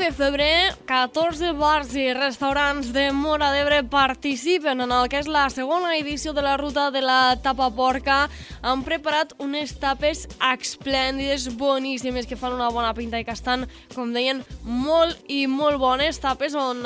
de febrer, 14 bars i restaurants de Móra d'Ebre participen en el que és la segona edició de la ruta de la tapa porca. Han preparat unes tapes esplèndides, boníssimes, que fan una bona pinta i que estan, com deien, molt i molt bones. Tapes on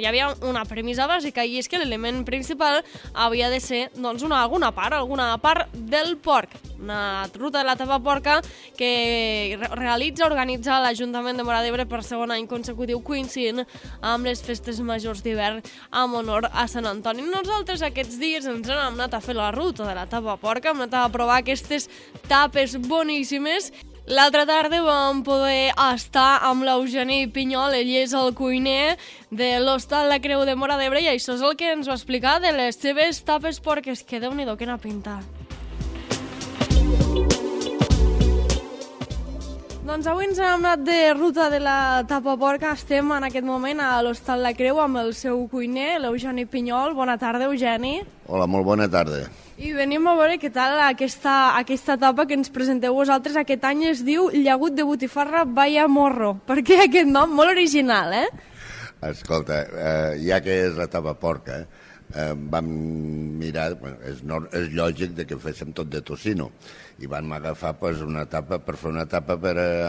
hi havia una premissa bàsica, i és que l'element principal havia de ser doncs, alguna part del porc. Una ruta de la tapa porca que organitza l'Ajuntament de Móra d'Ebre per segon any consecutiu, coincidint amb les festes majors d'hivern en honor a Sant Antoni. Nosaltres aquests dies ens hem anat a fer la ruta de la tapa porca, hem anat a provar aquestes tapes boníssimes. L'altra tarda vam poder estar amb l'Eugeni Pinyol, ell és el cuiner de l'Hostal La Creu de Móra d'Ebre, i això és el que ens va explicar de les seves tapes porques, que Déu-n'hi-do, quina pinta. Doncs avui ens hem anat de ruta de la tapa porca. Estem en aquest moment a l'Hostal La Creu amb el seu cuiner, l'Eugeni Pinyol. Bona tarda, Eugeni. Hola, molt bona tarda. I venim a veure què tal aquesta tapa que ens presenteu vosaltres. Aquest any es diu Llagut de Botifarra Vaya Morro. Per què aquest nom? Molt original, eh? Escolta, ja que és la tapa porca, vam mirar, és lògic que féssim tot de tocino, i vam agafar una tapa, per fer una tapa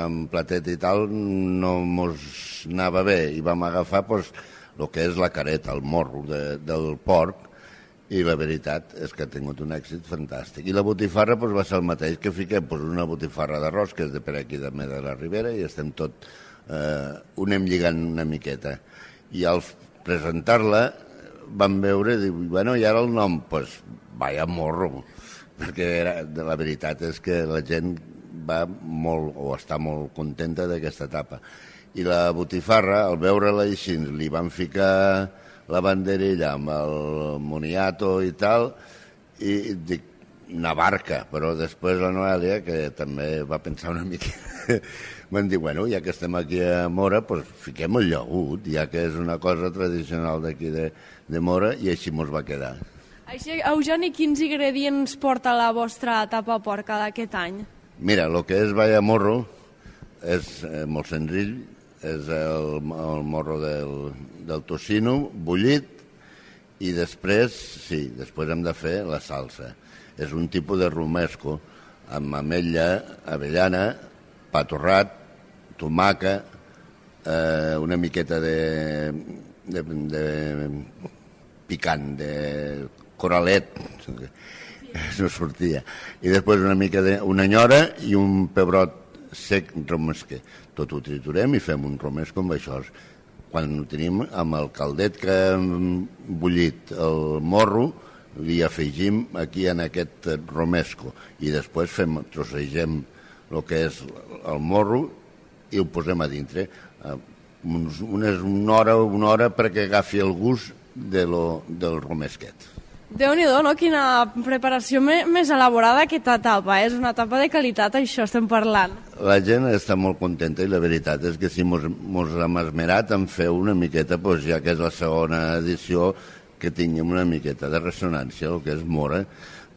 amb platet i tal, no mos anava bé, i vam agafar el que és la careta, el morro del porc, i la veritat és que ha tingut un èxit fantàstic. I la botifarra va ser el mateix, que fiquem una botifarra d'arròs, que és de per aquí de la Ribera, i estem tot, ho anem lligant una miqueta. I al presentar-la vam veure, bueno, i ara el nom, vaya morro, perquè la veritat és que la gent va molt, o està molt contenta d'aquesta etapa. I la botifarra, al veure-la així, li van ficar la banderilla amb el moniato i tal, i dic, una barca, però després la Noèlia, que també va pensar una mica, van dir, bueno, ja que estem aquí a Móra, fiquem el llagut, ja que és una cosa tradicional d'aquí de Móra, i així mos va quedar. Així, Eugeni, quins ingredients porta la vostra tapa porca d'aquest any? Mira, el que és Vaya Morro és molt senzill, és el morro del tocino bullit, i després hem de fer la salsa. És un tipus de romesco amb ametlla, avellana, pa torrat, tomaca, una miqueta de picant, de coralet, no sortia, i després una mica una nyora i un pebrot sec romesquer. Tot ho triturem i fem un romesco amb això. Quan ho tenim amb el caldet que hem bullit el morro, li afegim aquí en aquest romesco, i després trossegem el que és el morro i ho posem a dintre. Una hora perquè agafi el gust del romesquet. Déu-n'hi-do, no? Quina preparació més elaborada aquesta tapa. És una tapa de qualitat, això estem parlant. La gent està molt contenta, i la veritat és que si mos hem esmerat en fer una miqueta, ja que és la segona edició, que tinguem una miqueta de ressonància, el que és Móra,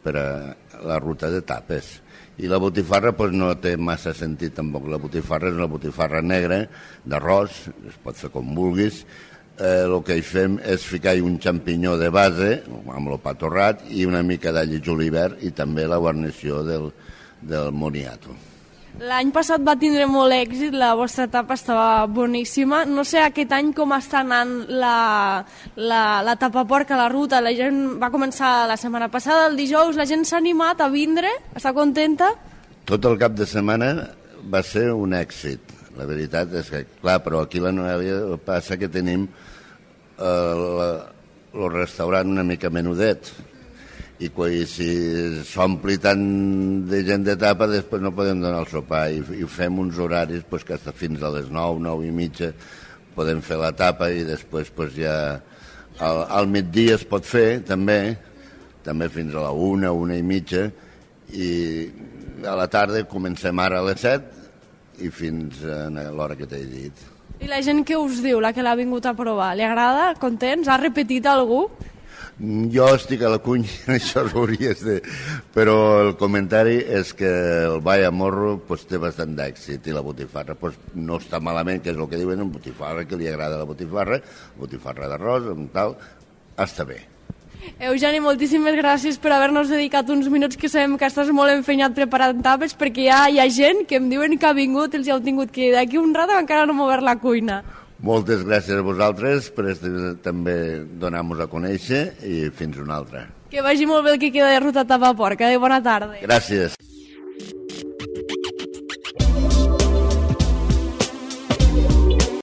per a la ruta de tapes. I la botifarra no té massa sentit tampoc. La botifarra és una botifarra negra, d'arròs, es pot fer com vulguis. El que hi fem és ficar un xampinyó de base, amb el pa torrat, i una mica d'all i julivert, i també la guarnició del moniato. L'any passat va tindre molt èxit, la vostra tapa estava boníssima. No sé aquest any com està anant la tapa porca, la ruta. La gent va començar la setmana passada, el dijous, la gent s'ha animat a vindre, està contenta? Tot el cap de setmana va ser un èxit. La veritat és que, clar, però aquí a la Noèlia passa que tenim el restaurant una mica menudet, i si s'ompli tant de gent de tapa, després no podem donar el sopar, i fem uns horaris que fins a les 9, 9 i mitja podem fer la tapa, i després ja al migdia es pot fer també fins a la 1, 1 i mitja, i a la tarda comencem ara a les 7 i fins a l'hora que t'he dit. I la gent què us diu, la que l'ha vingut a provar? Li agrada? Contents? Ha repetit algú? Jo estic a la cunya, això s'hauries de... Però el comentari és que el ball a morro pues, té bastant d'èxit i la botifarra pues, no està malament, que és el que diuen, botifarra, que li agrada la botifarra d'arròs, amb tal, està bé. Eugeni, moltíssimes gràcies per haver-nos dedicat uns minuts que sabem que estàs molt empenyat preparant tapes, perquè ja hi ha gent que em diuen que ha vingut, els heu tingut que d'aquí un rato encara no mover la cuina. Moltes gràcies a vosaltres per també donar-nos a conèixer i fins una altra. Que vagi molt bé el que queda de ruta Tapaporca. Bona tarda. Gràcies.